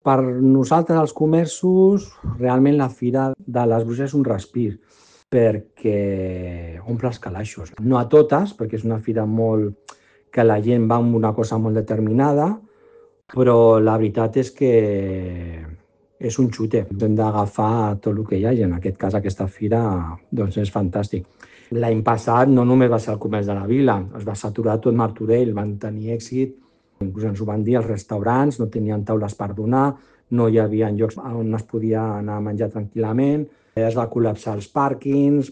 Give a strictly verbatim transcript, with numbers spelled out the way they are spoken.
Per nosaltres, els comerços, realment la Fira de les Bruixes és un respir, perquè omple els calaixos. No a totes, perquè és una fira molt que la gent va amb una cosa molt determinada, però la veritat és que és un xute. Hem d'agafar tot el que hi hagi. En aquest cas, aquesta fira doncs és fantàstic. L'any passat no només va ser el comerç de la vila, es va saturar tot Martorell, van tenir èxit. Inclús ens ho van dir els restaurants, no tenien taules per donar, no hi havia llocs on es podia anar a menjar tranquil·lament, es va col·lapsar els pàrquings.